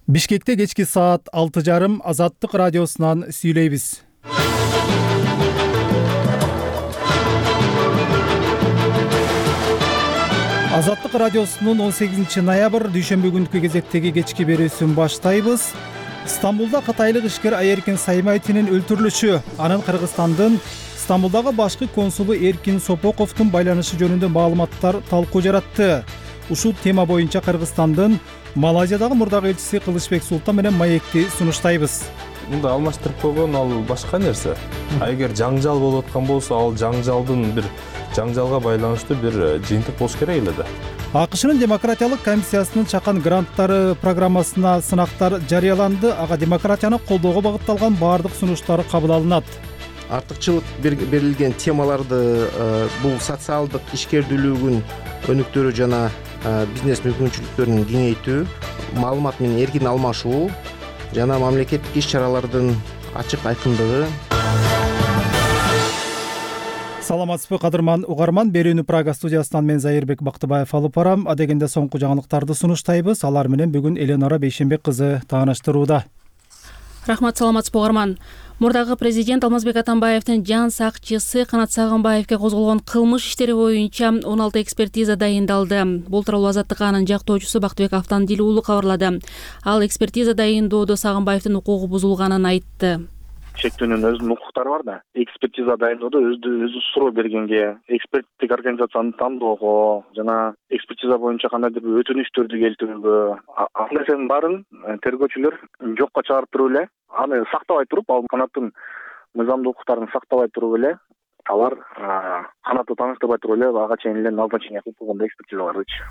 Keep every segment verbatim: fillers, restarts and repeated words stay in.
Бишкекте кечки саат алты жарым Азаттык радиосунан сүйлөйбүз. Азаттык радиосунун он сегизинчи ноябрь дүйшөмбү күнкү кезектеги кечки берүүсүн баштайбыз. Стамбулда кытайлык ишкер Айеркин Саймайтинин өлтүрүлүшү, анын Кыргызстандын Стамбулдагы башкы консулу Эркин Сопоковдун байланышы жөнүндө маалыматтар талкуу жаратты. Ушул тема боюнча Кыргызстандын Малайзиядагы мурдагы элчиси Кылычбек Султан менен маекти сунуштайбыз. Мында алмаштырып койгон ал башка нерсе. А эгер жаңжал болуп аткан болсо, ал жаңжалдын бир жаңжалга байланыштуу бир жыйынтык болуш керек эле да. АКШнын демократиялык комиссиясынын чакан гранттары программасына сынактар жарыяланды. Ага демократияны колдоого багытталган баардык сунуштар кабыл алынат. Артыкчылык берилген темаларды бул социалдык ишкердүүлүгүн өнүктүрүү жана бизнес мүмкүнчүлүктөрүн кеңейтүү, маалымат менен эркин алмашуу жана мамлекеттик иш-чаралардын ачык айкындыгы. Саламатсызбы кадырман угарман, берүүнү Прага студиясынан мен Зайырбек Бактыбаев алып барам. Адегенде соңку жаңылыктарды сунуштайбыз. Алар менен бүгүн Эленора Бейшенбек кызы тааныштырууда. Рахмат, саламатсызбы угарман. Мурдагы президент Алмазбек Атамбаевдин жан сакчысы Канат Сагынбаевге козголгон кылмыш иштери боюнча он алты экспертиза дайындалды. Бул тууралуу Азаттык анын жактоочусу Бактыбек Автандил уулу кабарлады. Ал экспертиза дайындоодо Сагынбаевдин укугу бузулганын айтты. Чектөөнүн өзүнүн укуктары бар да. Экспертиза дайындоодо өзү өзү суроо бергенге, эксперттик организацияны тандоого жана экспертиза боюнча кандайдыр бир өтүнүчтөрдү келтирүүгө, ал нерсенин баарын тергөөчүлөр жокко чыгарып туруп эле, аны сактабай туруп, ал Канаттын мыйзамдуу укуктарын сактабай туруп эле, алар Канатты тааныштырбай туруп эле ага чейин эле назначение кылып койгон экспертизалардычы.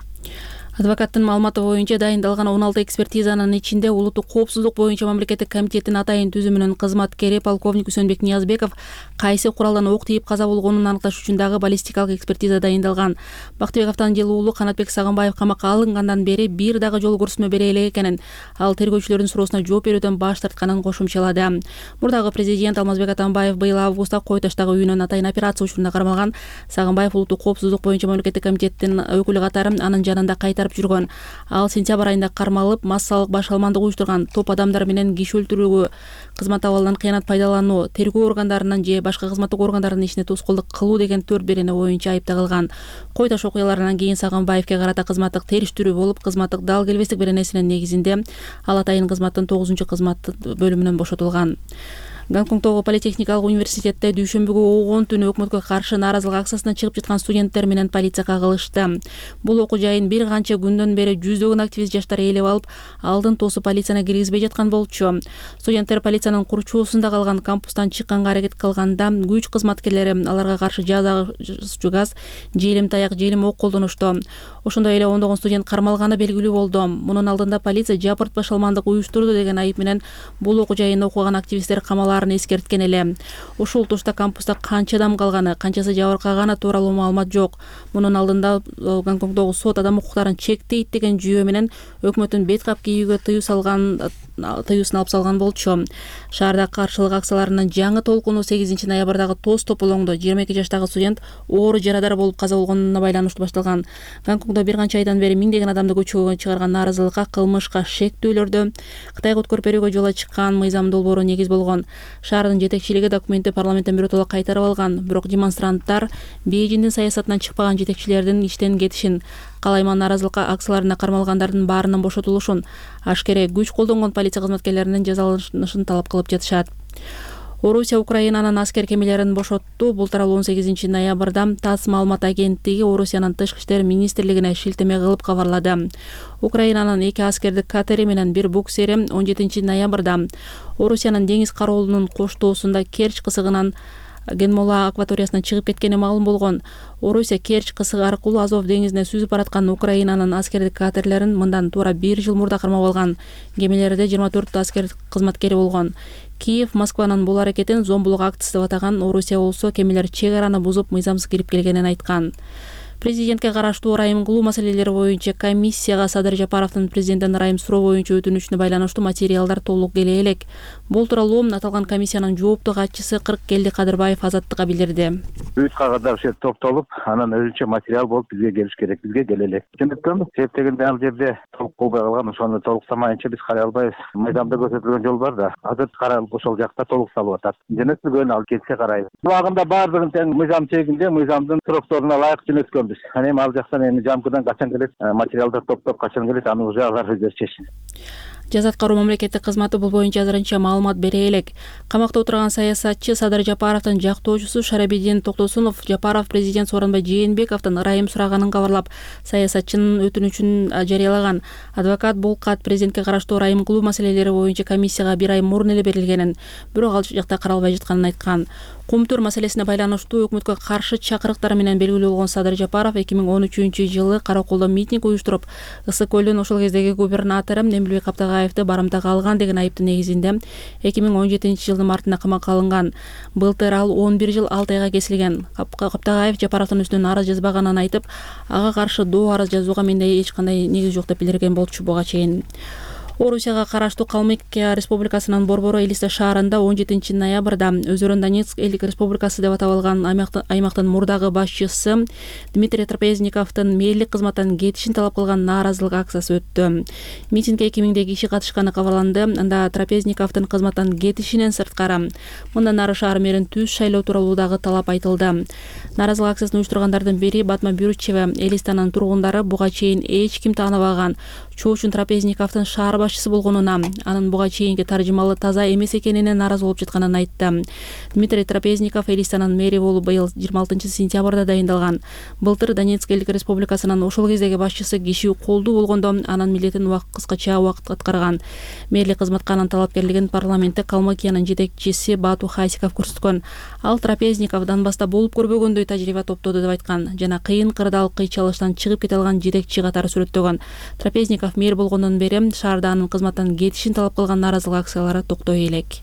Адвокаттын маалыматы боюнча дайындалган он алты экспертизанын ичинде улуттук коопсуздук боюнча мамлекеттик комитеттин атайын түзүмүнүн кызматкери полковник Үсөнбек Ниязбеков кайсы куралдан ок тийип каза болгонун аныкташ үчүн дагы баллистикалык экспертиза дайындалган. Бактыбек Автандил уулу Канатбек Сагынбаев камакка алынгандан бери бир дагы жол көрсөтмө бере элек экенин, ал тергөөчүлөрдүн суроосуна жооп берүүдөн баш тартканын кошумчалады. Мурдагы президент Алмазбек Атамбаев быйыл августта Кой Таштагы үйүнөн атайын операция учурунда кармалган. Сагынбаев улуттук коопсуздук боюнча мамлекеттик комитеттин өкүлү катары анын жанында кайтарып жүргөн. Ал сентябрь айында кармалып, массалык баш алмандык уюштурган, топ адамдар менен киши өлтүрүүгө, кызмат абалынан кыянат пайдалануу, тергөө органдарынын же башка кызматтык органдардын ишине тоскоолдук кылуу деген төрт берене боюнча айыпталган. Кой Таш окуяларынан кийин Сагынбаевге карата кызматтык териштирүү болуп, кызматтык дал келбестик беренесинин негизинде ал атайын кызматтын тогузунчу кызмат бөлүмүнөн бошотулган. Гонконгдогу политехникалык университетте дүйшөмбүгү он түнү өкмөткө каршы нааразылык акциясына чыгып жаткан студенттер менен полиция кагылышты. Бул окуу жайын бир канча күндөн бери жүздөгөн активист жаштар ээлеп алып, алдын тосуп полицияны киргизбей жаткан болчу. Студенттер полициянын курчоосунда калган кампустан чыкканга аракет кылганда күч кызматкерлери аларга каршы жазгычу газ, желим таяк, желим ок колдонушту. Ошондой эле ондогон студент кармалганы белгилүү болду. Мунун алдында полиция жапыртпаш алмандык уюштурду деген айып менен бул окуу жайында окуган активисттер камаларын эскерткен эле. Ушул тушта кампуста канча адам калганы, канчасы жабыркаганы тууралуу маалымат жок. Мунун алдында Гонконгдогу сот адам укуктарын чектейт деген жүйө менен өкмөттүн бет кап кийүүгө тыюу салган тыюусын алып салган болчу. Шаарда каршылык акцияларынын жаңы толкуну сегизинчи ноябрдагы тоз тополоңдо жыйырма эки жаштагы студент оору жарадар болуп каза болгонуна байланыштуу башталган. Гонконгдо бир канча айдан бери миңдеген адамды көчөгө чыгарган нааразылыкка, кылмышка, шектүүлөрдө Кытайга өткөрүп берүүгө жол ачкан мыйзам долбоору негиз болгон. Шаардын жетекчилиги документти парламенттен биротоло кайтарып алган, бирок демонстранттар Бейжиңдин саясатынан чыкпаган жетекчилердин иштен кетишин, калайман нааразылык акцияларына кармалгандардын баарынын бошотулушун, ашкере күч колдонгон полиция кызматкерлеринин жазаланышын талап кылып жатышат. Орусия Украинанын аскер кемелерин бошотту. Бул тууралуу он сегизинчи ноябрда ТАСС маалымат агенттиги Орусиянын тышкы иштер министрлигине шилтеме кылып кабарлады. Украинанын эки аскердик катери менен бир буксери он жетинчи ноябрда Орусиянын деңиз кароолунун коштоосунда Керчь кысыгынан Генмола акваториясынан чыгып кеткени маалым болгон. Орусия Керчь кысыгы аркылуу Азов деңизине сүзүп бараткан Украинанын аскердик катерлерин мындан туура бир жыл мурда кармап алган. Кемелерде жыйырма төрт аскер кызматкери болгон. Киев Москванын бул аракетин зомбулук актысы деп атаган. Орусия болсо кемелер чек араны бузуп, мыйзамсыз кирип келгенин айткан. Президентке караштуу ырайым кылуу маселелери боюнча комиссияга Садыр Жапаровдун президенттен ырайым суроо боюнча өтүнүчүнө байланыштуу материалдар толук келе элек. Бул тууралуу аталган комиссиянын жооптуу катчысы Кырыккелди Кадырбаев Азаттыкка билдирди. Үч кагаздар ушер топтолуп, анан өзүнчө материал болуп бизге келиш керек. Бизге келе элек. Жөнөткөнбүз. Себептегенде ал жерде толук болбой калган, ошону толуктамайынча биз карай албайбыз. Мыйзамда көрсөтүлгөн жол бар да. Азыр каралып ошол жакта толукталып атат. Жөнөтүлгөн ал келсе карайбыз. Убагында баардыгын тең мыйзам чегинде, мыйзамдын срокторуна ылайык жөнөткөнбүз. Анан эми ал жактан эми жамкыдан качан келет, материалдар топтоп качан келет, аны уже алар өздөрү чечsin. Жаза аткаруу мамлекеттик кызматы бул боюнча азырынча маалымат бере элек. Камакта отурган саясатчы Садыр Жапаровдун жактоочусу Шарабидин Токтосунов Жапаров президент Сооронбай Жээнбековдун ырайым сураганын кабарлап, саясатчынын өтүнүчүн жарыялаган. Адвокат бул кат президентке караштуу ырайым кылуу маселелери боюнча комиссияга бир ай мурун эле берилгенин, бирок ал жакта каралбай жатканын айткан. Кумтөр маселесине байланыштуу өкмөткө каршы чакырыктар менен белгилүү болгон Садыр Жапаров эки миң он үчүнчү жылы Караколдо митинг уюштуруп, Ысык көлдүн ошол кездеги губернатору Эмилбек Каптагаевди барымтага алган деген айыптын негизинде эки миң он жетинчи жылдын мартында камакка алынган. Былтыр ал он бир жыл алты айга кесилген. Каптагаев Жапаровдун үстүнөн арыз жазбаганын айтып, ага каршы доо арыз жазууга менде эч кандай негиз жок деп билдирген болчу буга чейин. Орусияга караштуу Калмыкия Республикасынын Борбору Элиста шаарында он жетинчи ноябрда өздөрүн Донецк элдик республикасы деп атап алган аймактын мурдагы башчысы Дмитрий Трапезниковдун мээлик кызматтан кетишин талап кылган нааразылык акциясы өттү. Митингге эки миңдей киши катышканы кабарланды. Анда Трапезниковдун кызматтан кетишинен сырткары мындан ары шаар мэрин түз шайлоо тууралуу дагы талап айтылды. Нааразылык акциясын уюштургандардын бири Батма Бюрчева. Элистанын тургундары буга чейин эч ким тааныбаган чоочун Трапезниковдун шаар башчысы болгонуна, анын буга чейинки таржымалы таза эмес экенине нааразы болуп жатканын айтты. Дмитрий Трапезников Элистанын мэри болуп быйыл жыйырма алтынчы сентябрда дайындалган. Былтыр Донецк элдик республикасынын ошол кездеги башчысы киши колдуу болгондо анын милдетин кыскача убакыт аткарган. Мэрлик кызматка анын талапкерлигин парламентте Калмыкиянын жетекчиси Бату Хасиков көрсөткөн. Ал Трапезников Донбасста болуп көрбөгөндөй тажрыйба топтоду деп айткан жана кыйын кырдаал кыйчалыштан чыгып кете алган жетекчи катары сүрөттөгөн. Трапезников мэр болгондон бери шаарда анын кызматтан кетишин талап кылган нааразылык акциялары токтой элек.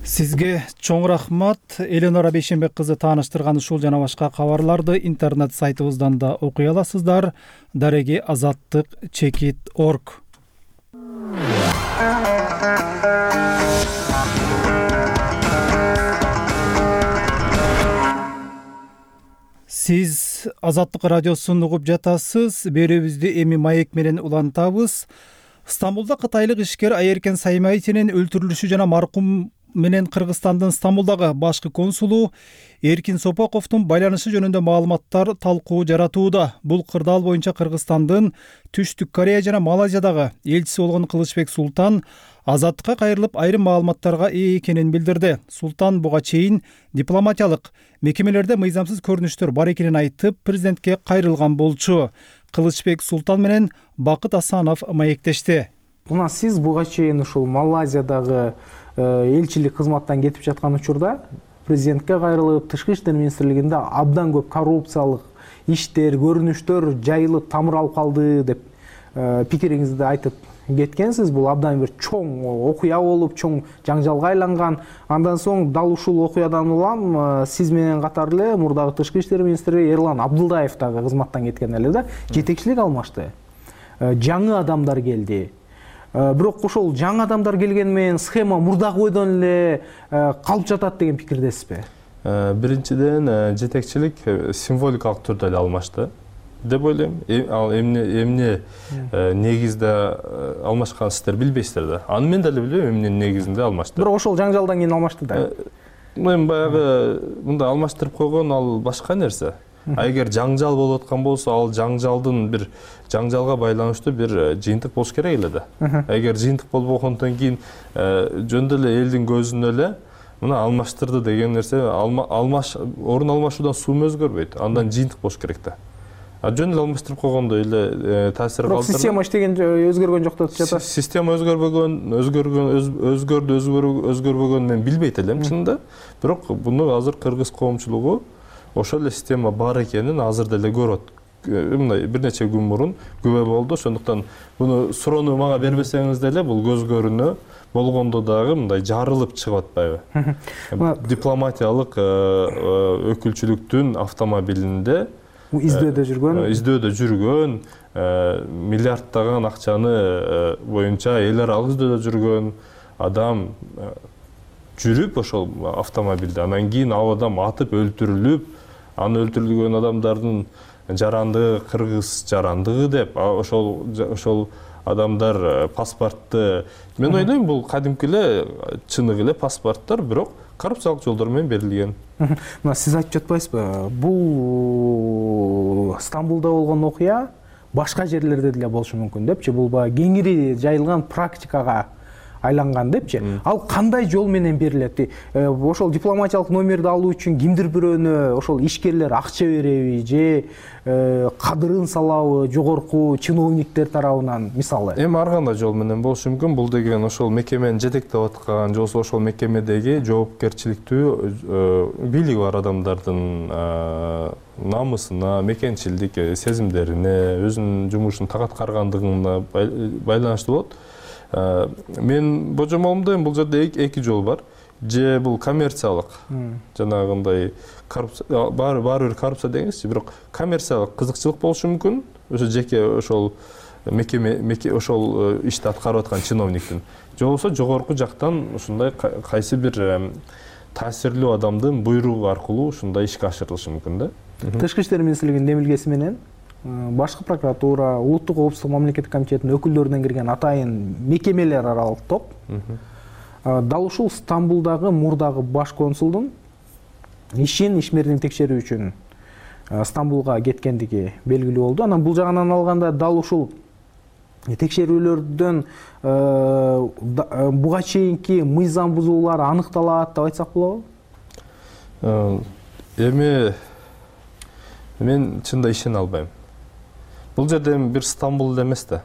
Сизге чоң рахмат. Эленора Бейшенбек кызы тааныштырган ушул жана башка кабарларды интернет сайтыбыздан да окуй аласыздар. Дареги азаттык чекит точка орг. Сиз Азаттык радиосун угуп жатасыз. Берүүбүздү эми маек менен улантабыз. Стамбулда кытайлык ишкер Айеркен Саймайтинин өлтүрүлүшү жана маркум менен Кыргызстандын Стамбулдагы башкы консулу Эркин Сопаковдун байланышы жөнүндө маалыматтар талкуу жаратууда. Бул кырдаал боюнча Кыргызстандын Түштүк Корея жана Малайзиядагы элчиси болгон Кылычбек Султан Азаттыкка кайрылып айрым маалыматтарга ээ экенин билдирди. Султан буга чейин дипломатиялык мекемелерде мыйзамсыз көрүнүштөр бар экенин айтып, президентке кайрылган болчу. Кылычбек Султан менен Бакыт Асанов маектешти. Мына сиз буга чейин ушул Малайзиядагы элчилик кызматтан кетип жаткан учурда президентке кайрылып, Тышкы иштер министрлигинде абдан көп коррупциялык иштер, көрүнүштөр жайылып тамыр алып калды деп пикириңизди айтып кеткенсиз. Бул абдан бир чоң окуя болуп, чоң жаңжалга айланган. Андан соң дал ушул окуядан улам сиз менен катар эле мурдагы Тышкы иштер министри Эрлан Абдулдаев дагы кызматтан кеткен эле да, жетекчилик алмашты. Жаңы адамдар келди. Бирок ошол жаңы адамдар келген менен схема мурдагы бойдон эле калып жатат деген пикирдесизби? Биринчиден, жетекчилик символикалык түрдө эле алмашты деп ойлойм. Ал эмне эмне негизде алмашкан сиздер билбейсиздер да. Аны мен деле билбейм эмне негизинде алмашты. Бирок ошол жаңжалдан кийин алмашты да. Мен баягы мында алмаштырып койгон ал башка нерсе. Эгер жаңжал болуп аткан болсо, ал жаңжалдын бир жаңжалга байланыштуу бир жыйынтык болуш керек эле да. Эгер жыйынтык болбогондон кийин жөндөр эле элдин көзүнө эле мына алмаштырды деген нерсе, алмаш орун алмашуудан суум өзгөрбөйт. Андан жыйынтык болуш керек да. А жөн эле алмаштырып койгондой эле таасир калтырды. Бирок система иштеген өзгөргөн жок деп жатат. Система өзгөрбөгөн, өзгөргөн, өзгөрдү, өзгөрбөгөн мен билбейт элем чынында. Бирок буну азыр кыргыз коомчулугу ошол эле система бар экенин азыр деле көрөт. мындай бир нече күн мурун күбө болду. Ошондуктан буну суроону мага бербесеңиз деле бул көз көрүнө болгондо дагы мындай жарылып чыгып атпайбы? Дипломатиялык өкүлчүлүктүн автомобилинде издөөдө жүргөн издөөдө жүргөн миллиарддаган акчаны боюнча эл аралык издөөдө жүргөн адам жүрүп ошол автомобилде анан кийин ал адам атып өлтүрүлүп, аны өлтүрүлгөн адамдардын жарандыгы кыргыз жарандыгы деп ошол ошол адамдар паспортты мен ойлойм бул кадимки эле чыныгы эле паспорттор, бирок коррупциялык жолдор менен берилген. Мына сиз айтып жатпайсызбы? Бул Стамбулда болгон окуя башка жерлерде деле болушу мүмкүн депчи. Бул баягы кеңири жайылган практикага айланган депчи. Ал кандай жол менен берилет? Ошол дипломатиялык номерди алуу үчүн кимдир бирөөнө ошол ишкерлер акча береби же кадырын салабы жогорку чиновниктер тарабынан мисалы? Эми ар кандай жол менен болушу мүмкүн. Бул деген ошол мекемени жетектеп аткан же болбосо ошол мекемедеги жоопкерчиликтүү бийлиги бар адамдардын намысына, мекенчилдик сезимдерине, өзүнүн жумушун так аткаргандыгына байланыштуу болот. Мен божомолумда бул жерде эки жол бар. Же бул коммерциялык, жанагындай коррупция, баары бир коррупция дегенчи, бирок коммерциялык кызыкчылык болушу мүмкүн. Ошо жеке ошол мекеме ошол ишти аткарып аткан чиновниктин. Же болбосо жогорку жактан ушундай кайсы бир таасирлүү адамдын буйругу аркылуу ушундай ишке ашырылышы мүмкүн да. Тышкы иштер министрлигинин демилгеси менен башкы прокуратура, улуттук коопсуздук мамлекеттик комитетинин өкүлдөрүнөн кирген атайын мекемелер аралык топ дал ушул Стамбулдагы мурдагы баш консулдун ишин, ишмердин текшерүү үчүн Стамбулга кеткендиги белгилүү болду. Анан бул жагынан алганда дал ушул текшерүүлөрдөн буга чейинки мыйзам бузуулар аныкталат деп айтсак болобу? Эми мен чында ишене албайм. Бул жерде бир Стамбул эмес да.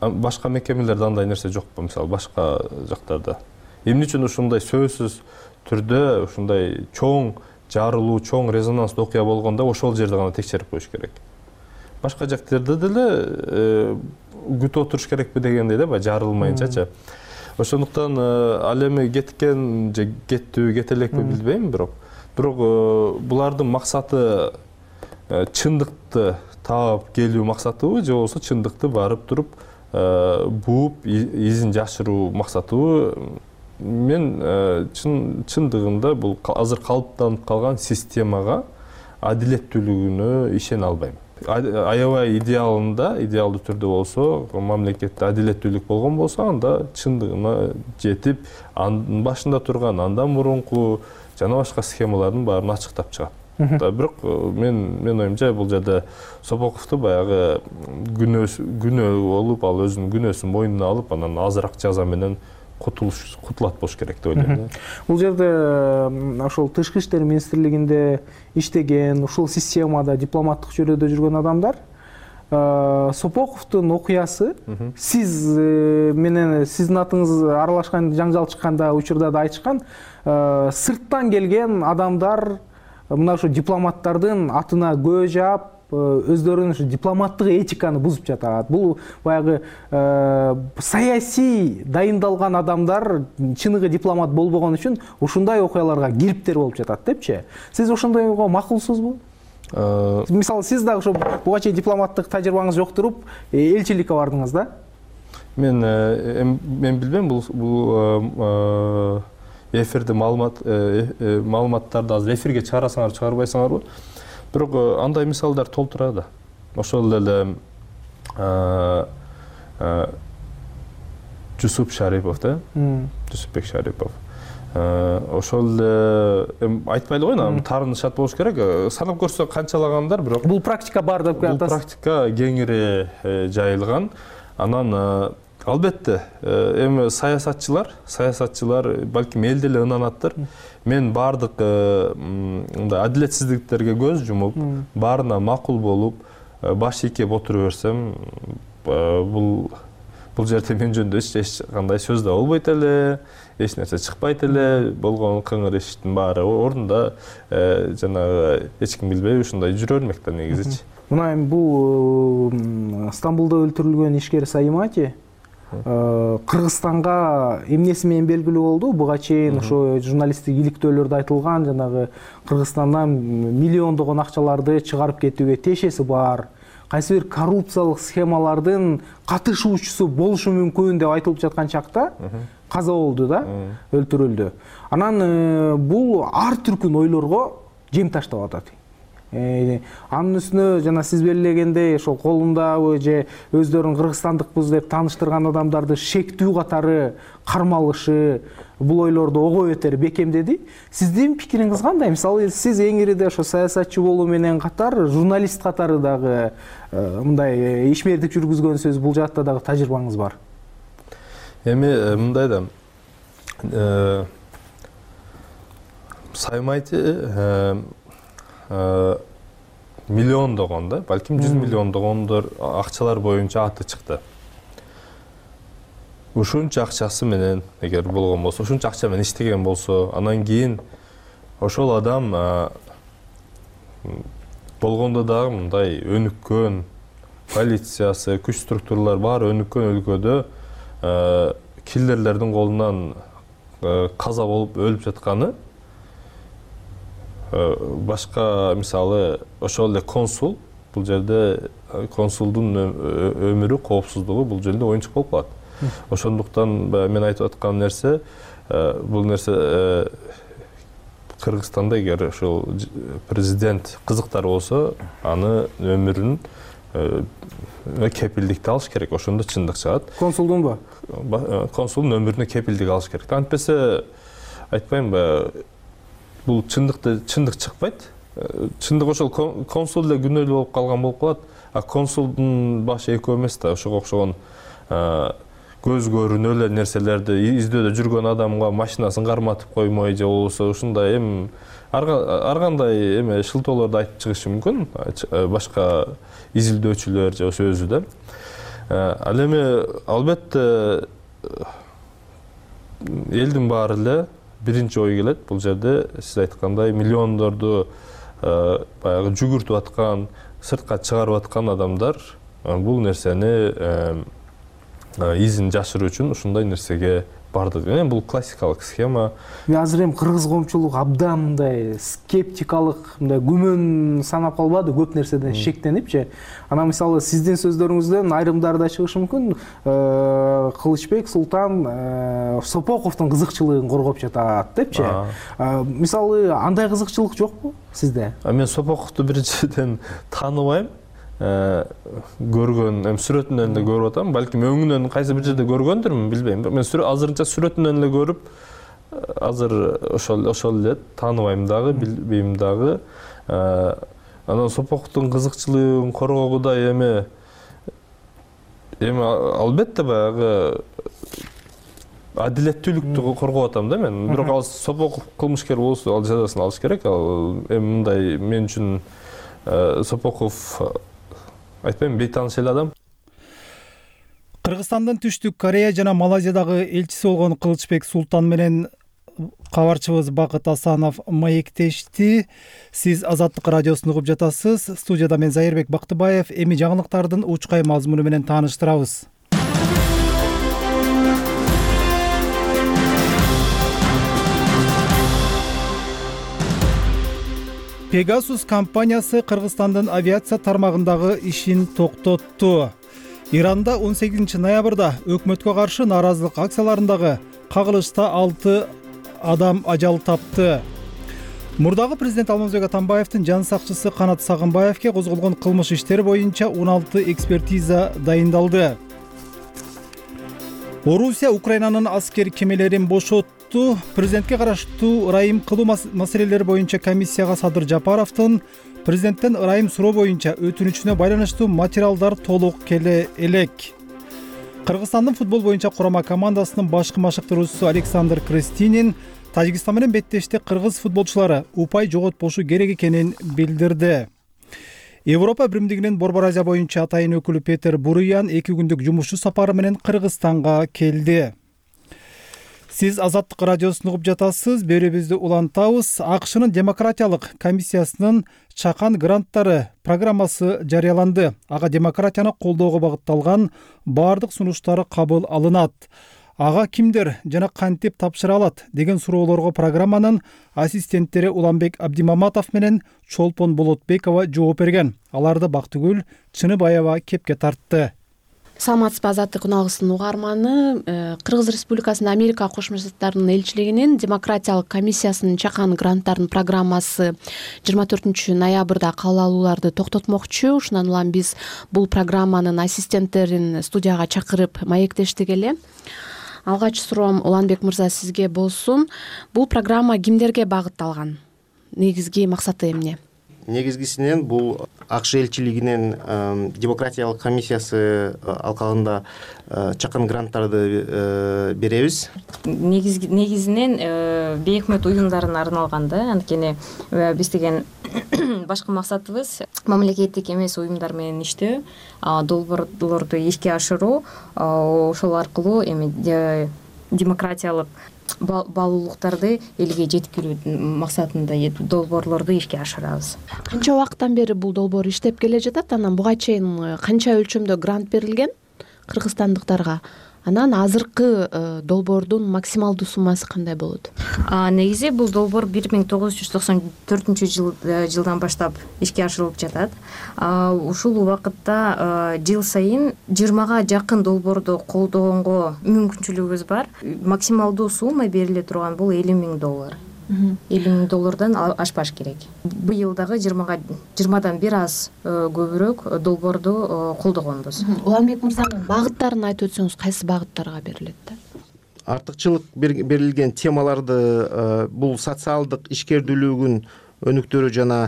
Башка мекемелерде андай нерсе жокпу, мисалы башка жактарда. Эмне үчүн ушундай сөзсүз түрдө ушундай чоң жарылуу, чоң резонанстуу окуя болгондо ошол жерде гана текшерип коюш керек. Башка жактарда деле күтүп отуруш керекпи дегендей да, жарылмайынчачы. Ошондуктан ал эми кеткен же кеттү, кете элекпи билбейм, бирок бирок булардын максаты чындыкты таап келүү максатыбы же болбосо чындыкты барып туруп бууп изин жашыруу максатыбы? Мен чындыгында бул азыр калыптанып калган системага адилеттүүлүгүнө ишене албайм. Аябай идеалында, идеалдуу түрдө болсо, мамлекетте адилеттүүлүк болгон болсо, анда чындыгына жетип, анын башында турган, андан мурунку жана башка схемалардын баарын ачыктап чыгат. Бирок мен мен оюмча бул жерде Сопоковду баягы күнөө болуп, ал өзүнүн күнөөсүн мойнуна алып, анан азыраак жаза менен кутулат болуш керек деп ойлойм. Бул жерде ошол Тышкы иштер министрлигинде иштеген, ушул системада дипломаттык чөйрөдө жүргөн адамдар Сопоковдун окуясы сиз менен сиздин атыңыз аралашкан, жаңжал чыкканда учурда да айтышкан, сырттан келген адамдар мына ушу дипломаттардын атына көө жаап, өздөрүнүн ушу дипломаттык этиканы бузуп жатат. Бул баягы саясий дайындалган адамдар чыныгы дипломат болбогон үчүн ушундай окуяларга кириптер болуп жатат депчи. Сиз ошондойго макулсузбу? Мисалы, сиз да ошо буга чейин дипломаттык тажрыйбаңыз жок туруп, элчиликке бардыңыз да? Мен мен билбейм, бул эфирде маалымат маалыматтарды азыр эфирге чыгарасыңар, чыгарбайсыңарбы? Бирок андай мисалдар толтурат. Ошол эле Жусуп Шарипов да, Жусупбек Шарипов. Ошол эле айтпай эле койгон, таарынышат болуш керек. Санап көрсө канчалагандар, бирок бул практика бар деп атасыз. Бул практика кеңири жайылган. Анан албетте, эми саясатчылар, саясатчылар балким элде эле ынанаттыр. Мен бардык мындай адилетсиздиктерге көз жумуп, баарына макул болуп, баш ийкеп отура берсем, бул бул жерде мен жөнүндө эч кандай сөз да болбойт эле, эч нерсе чыкпайт эле, болгон кыңыр эшиктин баары ордунда, жанагы эч ким билбей ушундай жүрө бермек да негизичи. Мына эми бул Стамбулда өлтүрүлгөн ишкер Саимати Кыргызстанга эмнеси менен белгилүү болду? Буга чейин ошо журналисттик иликтөөлөрдө айтылган жанагы Кыргызстандан миллиондогон акчаларды чыгарып кетүүгө тиешеси бар, кайсы бир коррупциялык схемалардын катышуучусу болушу мүмкүн деп айтылып жаткан чакта каза болду да, өлтүрүлдү. Анан бул ар түркүн ойлорго жем таштап атат. Анын үстүнө жана сиз белгилегендей ошол колундабы же өздөрүн кыргызстандыкпыз деп тааныштырган адамдарды шектүү катары кармалышы бул ойлорду ого бетер бекемдеди. Сиздин пикириңиз кандай? Мисалы сиз эң ириде ошо саясатчы болуу менен катар журналист катары дагы мындай ишмердик жүргүзгөнсүз, бул жакта дагы тажрыйбаңыз бар. Эми мындай да Саимати миллиондогон да, балким жүз миллиондогондор акчалар боюнча аты чыкты. Ушунча акчасы менен эгер болгон болсо, ушунча акча менен иштеген болсо, анан кийин ошол адам болгондо дагы мындай өнүккөн полициясы, күч структуралар баары өнүккөн өлкөдө киллерлердин колунан каза болуп өлүп жатканы, башка мисалы ошол эле консул, бул жерде консулдун өмүрү, коопсуздугу бул жерде оюнчук болуп калат. Ошондуктан мен айтып аткан нерсе, бул нерсе Кыргызстанда эгер ошол президент кызыктар болсо, аны өмүрүн кепилдикти алыш керек, ошондо чындык чыгат. Консулдунбу? Консулдун өмүрүнө кепилдик алыш керек. Антпесе айтпаймынбы, бул чындыкты чындык чыкпайт. Чындык ошол консул эле күнөөлүү болуп калган болуп калат. А консулдун башы экөө эмес да, ошого окшогон көз көрүнө эле нерселерди издөөдө жүргөн адамга машинасын карматып коймой же болбосо ушундай эми ар кандай эме шылтоолорду айтып чыгышы мүмкүн, башка изилдөөчүлөр же болбосо өзү да. Ал эми албетте элдин баары эле биринчи ой келет, бул жерде сиз айткандай миллиондорду баягы жүгүртүп аткан, сыртка чыгарып аткан адамдар бул нерсени изин жашыруу үчүн ушундай нерсеге барды. Эми бул классикалык схема. Мен азыр эми кыргыз коомчулугу абдан мындай скептикалык, мындай күмөн санап калбады, көп нерседен шектенипчи. Анан мисалы сиздин сөздөрүңүздөн айрымдарда чыгышы мүмкүн, Кылычбек Султан Сопоковдун кызыкчылыгын коргоп жатат депчи. Мисалы андай кызыкчылык жокпу сизде? Мен Сопоковду биринчиден тааныбайм. Көргөн, эми сүрөтүнөн эле көрүп атам, балким өңүнөн кайсы бир жерде көргөндүрмүн, билбейм. Мен азырынча сүрөтүнөн эле көрүп, азыр ошол ошол эле тааныбайм дагы, билбейм дагы. Анан Сопоковдун кызыкчылыгын коргоого эми эми албетте баягы адилеттүүлүктү коргоп атам да мен. Бирок ал Сопоков кылмышкер болсо, ал жазасын алыш керек. Ал эми мындай мен үчүн Сопоков айтпайм, бейтаныш эле адам. Кыргызстандын Түштүк Корея жана Малайзиядагы элчиси болгон Кылычбек Султан менен кабарчыбыз Бакыт Асанов маектешти. Сиз Азаттык радиосун угуп жатасыз. Студияда мен Зайырбек Бактыбаев. Эми жаңылыктардын учкай мазмуну менен тааныштырабыз. Pegasus компаниясы Кыргызстандын авиация тармагындагы ишин токтотту. Иранда он сегизинчи ноябрда өкмөткө каршы нааразылык акцияларындагы кагылышта алты адам ажал тапты. Мурдагы президент Алмазбек Атамбаевдин жан сакчысы Канат Сагынбаевке козголгон кылмыш иштери боюнча он алты экспертиза дайындалды. Орусия Украинанын аскер кемелерин бошотту. Президентке караштуу ырайым кылуу маселелери боюнча комиссияга Садыр Жапаровдун президенттен ырайым суроо боюнча өтүнүчүнө байланыштуу материалдар толук келе элек. Кыргызстандын футбол боюнча курама командасынын башкы машыктыруучусу Александр Крестинин Тажикстан менен беттеште кыргыз футболчулары упай жоготпошу керек экенин билдирди. Европа биримдигинин Борбор Азия боюнча атайын өкүлү Петер Буруян эки күндүк жумушчу сапары менен Кыргызстанга келди. Сиз Азаттык радиосун угуп жатасыз. Берүүбүздү улантабыз. АКШнын демократиялык комиссиясынын чакан гранттары программасы жарыяланды. Ага демократияны колдоого багытталган баардык сунуштар кабыл алынат. Ага кимдер жана кантип тапшыра алат деген суроолорго программанын ассистенттери Уланбек Абдимаматов менен Чолпон Болотбекова жооп берген. Аларды Бактыгүл Чыныбаева кепке тартты. Саламатсызбы, Азаттык уналгысынын угарманы. Кыргыз Республикасынын Америка Кошмо Штаттарынын элчилигинин демократиялык комиссиясынын чакан гранттарынын программасы жыйырма төртүнчү ноябрда кабыл алууларды токтотмокчу. Ушундан улам биз бул программанын ассистенттерин студияга чакырып маектештик эле. Алгач суроом Уланбек мырза сизге болсун. Бул программа кимдерге багытталган? Негизги максаты эмне? Негизгисинен бул АКШ элчилигинин демократиялык комиссиясы алкагында чакан гранттарды беребиз. Негизинен бейөкмөт уюмдарына арналган да, анткени биз деген башкы максатыбыз мамлекеттик эмес уюмдар менен иштөө, долбоорлорду ишке ашыруу, ошол аркылуу эми демократиялык баалуулуктарды элге жеткирүү максатында долбоорлорду ишке ашырабыз. Канча убакыттан бери бул долбоор иштеп келе жатат? Анан буга чейин канча өлчөмдө грант берилген кыргызстандыктарга? Анан азыркы долбоордун максималдуу суммасы кандай болот? Негизи бул долбоор бир миң тогуз жүз токсон төртүнчү жылдан баштап ишке ашырылып жатат. Ушул убакытта жыл сайын жыйырмага жакын долбоорду колдогонго мүмкүнчүлүгүбүз бар. Максималдуу сумма бериле турган бул элүү миң доллар. элүү миң доллардан ашпаш керек. Быйыл дагы жыйырмадан бир аз көбүрөөк долбоорду колдогонбуз. Уланбек мырзанын багыттарын айтып өтсөңүз, кайсы багыттарга берилет да? Артыкчылык берилген темаларды бул социалдык ишкердүүлүгүн өнүктүрүү жана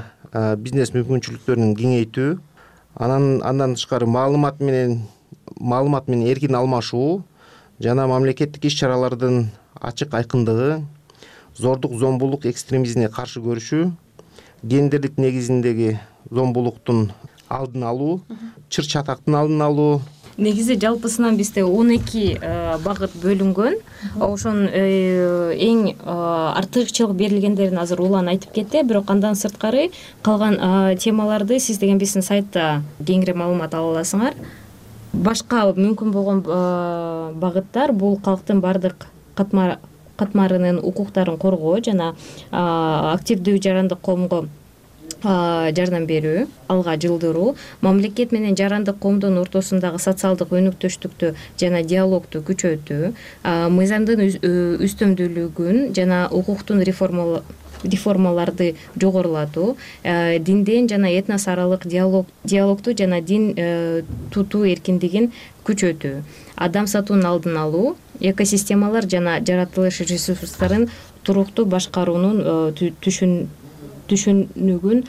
бизнес мүмкүнчүлүктөрүн кеңейтүү, анан андан тышкары маалымат менен маалымат менен эркин алмашуу жана мамлекеттик иш-чаралардын ачык айкындыгы, зордук зомбулук экстремизмине каршы көрүшүү, гендердик негизиндеги зомбулуктун алдын алуу, чыр-чатактын алдын алуу. Негизи жалпысынан бизде он эки багыт бөлүнгөн. Ошонун эң артыкчылык берилгендерин азыр улан айтып кетти, бирок андан сырткары калган темаларды сиз деген биздин сайтта кеңири маалымат ала аласыңар. Башка мүмкүн болгон багыттар бул калктын бардык катмар катмарынын укуктарын коргоо жана активдүү жарандык коомго жардам берүү, алга жылдыруу, мамлекет менен жарандык коомдун ортосундагы социалдык өнүктүштүктү жана диалогду күчөтүү, мыйзамдын үстөмдүүлүгүн жана укуктун реформаларды жогорулатуу, динден жана этнос аралык диалогду жана дин тутуу эркиндигин күчөтүү, адам сатуунун алдын алуу, экосистемалар жана жаратылыш ресурстарын туруктуу башкаруунун түшүнүгүн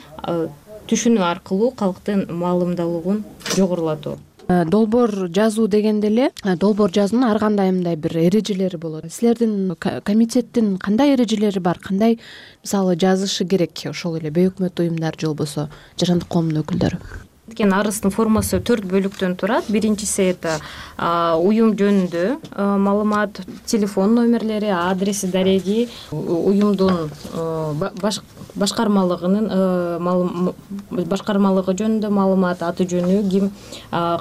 түшүнүү аркылуу калктын маалымдуулугун жогорулатуу. Долбоор жазуу дегенде эле долбоор жазуунун ар кандай мындай бир эрежелери болот. Силердин комитеттин кандай эрежелери бар? Кандай мисалы жазышы керек ошол эле бейөкмөт уюмдар же болбосо жарандык коомдун өкүлдөрү? Кен арыстын формасы төрт бөлүктөн турат. Биринчиси это уюм жөнүндө маалымат, телефон номерлери, адреси, дареги, уюмдун башкармалыгынын башкармалыгы жөнүндө маалымат, аты жөнү, ким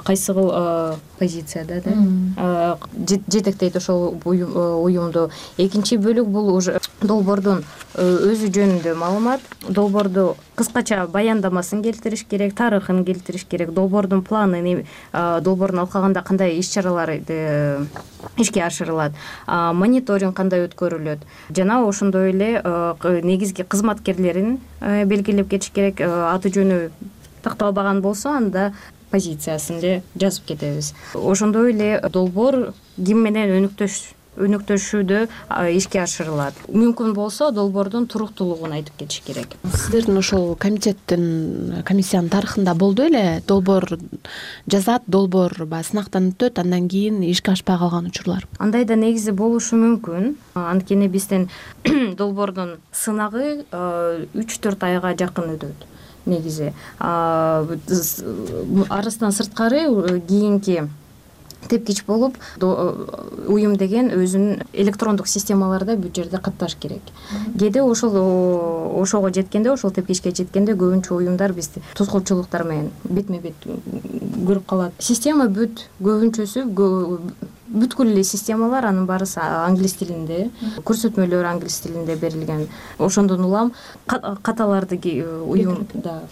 кайсы кыл позицияда да жетектейт ошол уюмду. Экинчи бөлүк бул уже долбоордун өзү жөнүндө маалымат. Долбоорду кыскача баяндамасын келтириш керек, тарыхын келтириш керек, долбоордун планын, долбоордун алкагында кандай иш-чаралар ишке ашырылат, мониторинг кандай өткөрүлөт жана ошондой эле негизги кызматкерлерин белгилеп кетиш керек. Аты жөнү такталбаган болсо анда позициясын эле жазып кетебиз. Ошондой эле долбоор ким менен өнүктөш өнүктүрүшүүдө ишке ашырылат. Мүмкүн болсо долбоордун туруктуулугун айтып кетиш керек. Сиздердин ошол комитеттин комиссиянын тарыхында болду эле долбоор жазат, долбоор баягы сынактан өтөт, андан кийин ишке ашпай калган учурлар. Андай да негизи болушу мүмкүн. Анткени биздин долбоордун сынагы үч төрт айга жакын өтөт. негизи. Арыстан сырткары кийинки тепкич болуп уюм деген өзүнүн электрондук системаларда бүт жерде катташ керек. Кээде ошол ошого жеткенде, ошол тепкичке жеткенде көбүнчө уюмдар бизди тускулчулуктар менен бетме бет көрүп калат. Система бүт көбүнчөсү бүткүл эле системалар анын баарысы англис тилинде, көрсөтмөлөр англис тилинде берилген. Ошондон улам каталарды уюмда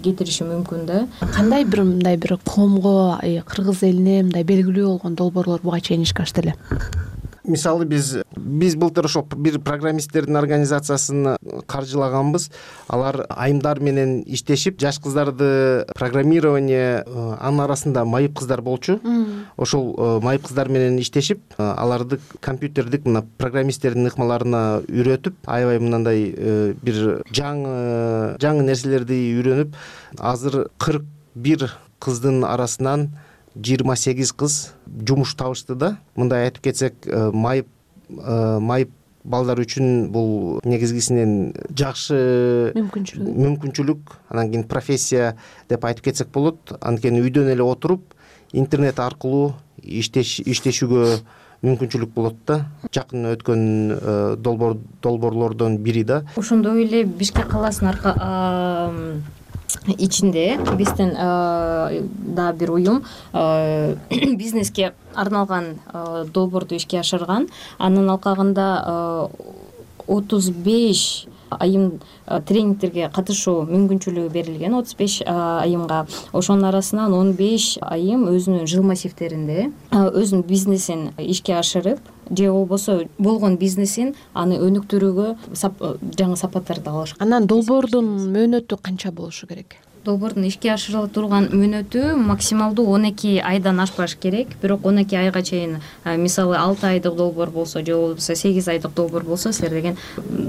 кетириши мүмкүн да. Кандай бир мындай бир коомго, кыргыз элине мындай белгилүү болгон долбоорлор буга чейин ишке ашты эле? Мисалы биз биз былтыр ошол бир программисттердин организациясын каржылаганбыз. Алар айымдар менен иштешип, жаш кыздарды программирование, анын арасында майып кыздар болчу. Ошол майып кыздар менен иштешип, аларды компьютердик мына программисттердин ыкмаларына үйрөтүп, аябай мындай бир жаңы жаңы нерселерди үйрөнүп, азыр кырк бир кыздын арасынан жыйырма сегиз кыз жумуш табышты да. Мындай айтып кетсек, майып майып балдар үчүн бул негизгисинен жакшы мүмкүнчүлүк мүмкүнчүлүк, анан кийин профессия деп айтып кетсек болот. Анткени үйдөн эле отуруп интернет аркылуу иштеш иштешүүгө мүмкүнчүлүк болот да. Жакын өткөн долбоор долбоорлордон бири да. Ошондой эле Бишкек каласынын ичинде бизден да бир уюм бизнеске арналган долбоорду ишке ашырган. Анын алкагында отуз беш айым тренингтерге катышуу мүмкүнчүлүгү берилген. отуз беш айымга. Ошонун арасынан он беш айым өзүнүн жыл массивтеринде өзүнүн бизнесин ишке ашырып, же болбосо болгон бизнесин аны өнүктүрүүгө жаңы сапаттарды алышкан. Анан долбоордун мөөнөтү канча болушу керек? Долбоордун ишке ашырыла турган мөөнөтү максималдуу он эки айдан ашпаш керек. Бирок он эки айга чейин, мисалы алты айдык долбоор болсо же болбосо сегиз айдык долбоор болсо, силер деген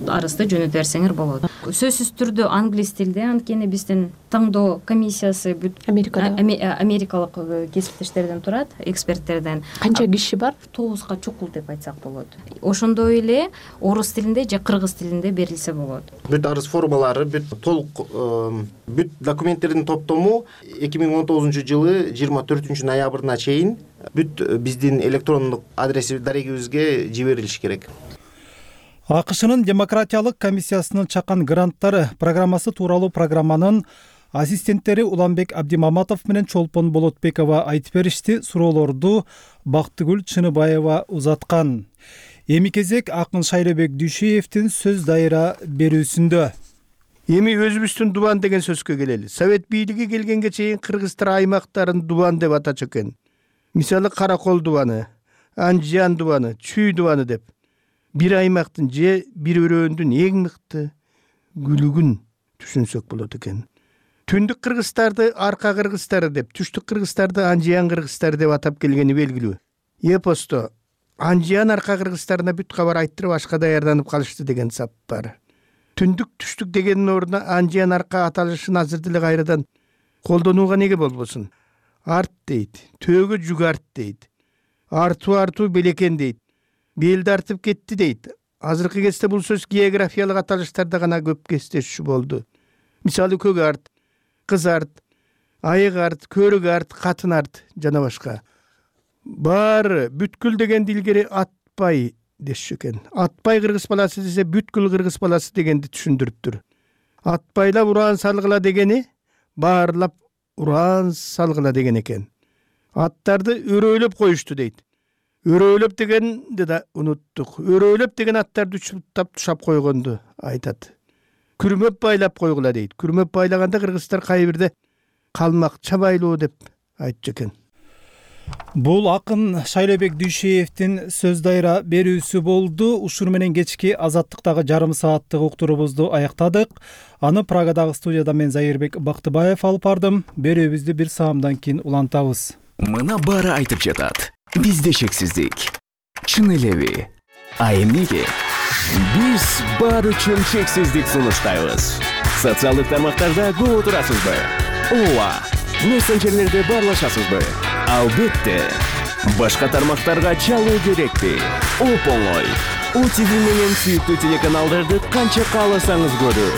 арызды жөнөтө берсеңер болот. Сөзсүз түрдө англис тилде, анткени биздин таңдоо комиссиясы бүт Америкада америкалык кесиптештерден турат, эксперттерден. Канча киши бар? Тогузга чукул деп айтсак болот. Ошондой эле орус тилинде же кыргыз тилинде берилсе болот. Бүт арыз формалары, бүт толук бүт документтердин топтому эки миң он тогузунчу жылы жыйырма төртүнчү ноябрына чейин бүт биздин электрондук адреси дарегибизге жиберилиш керек. АКШнын демократиялык комиссиясынын чакан гранттары программасы тууралуу программанын ассистенттери Уланбек Абдимаматов менен Чолпон Болотбекова айтып беришти. Суроолорду Бактыгүл Чыныбаева узаткан. Эми кезек Акын Шайлебек Дүйшеевдин сөз дайыра берүүсүндө. Эми өзүбүздүн дубан деген сөзгө келели. Совет бийлиги келгенге чейин кыргыздар аймактарын дубан деп атачу экен. Мисалы Каракол дубаны, Анжан дубаны, Чүй дубаны деп. Бир аймактын же бир өрөөндүн эң мыкты күлүгүн түшүнсөк болот экен. Түндүк кыргыздарды арка кыргыздары деп, түштүк кыргыздарды Анжан кыргыздары деп атап келгени белгилүү. Эпосто Анжан арка кыргыздарына бүт кабар айттырып ашка даярданып калышты деген сап бар. Түндүк түштүк дегенин ордуна Анжан арка аталышын азырды эле кайрадан колдонууга неге болбосун? Арт дейт, төөгө жүк арт дейт. Артуу артуу белекен дейт. Белди артып кетти дейт. Азыркы кезде бул сөз географиялык аталыштарда гана көп кездешүү болду. Мисалы көк арт, кыз арт, айык арт, көрүк арт, катын арт жана башка. Баары бүткүл деген дилгери атпай дешчү экен. Атпай кыргыз баласы десе бүткүл кыргыз баласы дегенди түшүндүрүптүр. Атпайлап уран салгыла дегени баарлап уран салгыла деген экен. Аттарды өрөөлөп коюшту дейт. Өрөөлөп дегенди да унуттук. Өрөөлөп деген аттарды учуптап тушап койгонду айтат. Күрмөп байлап койгула дейт. Күрмөп байлаганда кыргыздар кайбирде калмакча байлоо деп айтчу экен. Бул Акын Шайлебек Дүйшеевдин сөз дайыра берүүсү болду. Ушур менен кечки Азаттыктагы жарым сааттык уктуруубузду аяктадык. Аны Прагадагы студияда мен Зайырбек Бактыбаев алып бардым. Берүүбүздү бир саамдан кийин улантабыз. Мына баары айтып жатат. Бизде шексиздик. Чын элеби? А эмнеге? Биз баары үчүн шексиздик сунуштайбыз. Социалдык тармактарда көп отурасызбы? Ооба. Мессенджерлерде баарлашасызбы? Албетте. Башка тармактарга чалуу керекпи? Оп оңой. О Ти Ви менен сүйүктүү телеканалдарды канча кааласаңыз көрүү.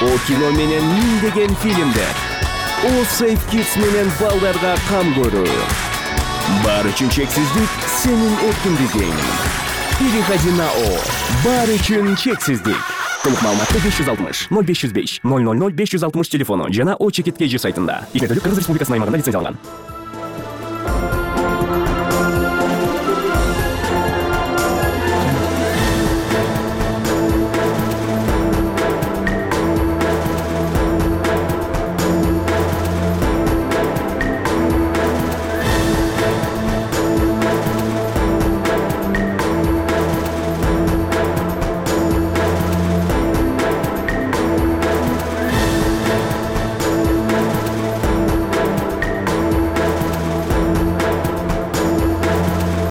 О кино менен миңдеген фильмдер. О Safe Kids менен балдарга кам көрүү. Баары үчүн чексиздик сенин эркиндигиң. Переходи на О. Баары үчүн чексиздик. Толук маалыматты беш жүз алтымыш ноль беш жүз беш ноль ноль ноль беш жүз алтымыш телефону жана О чекит кей жи сайтында. Игерделик Кыргыз Республикасынын аймагында лицензияланган.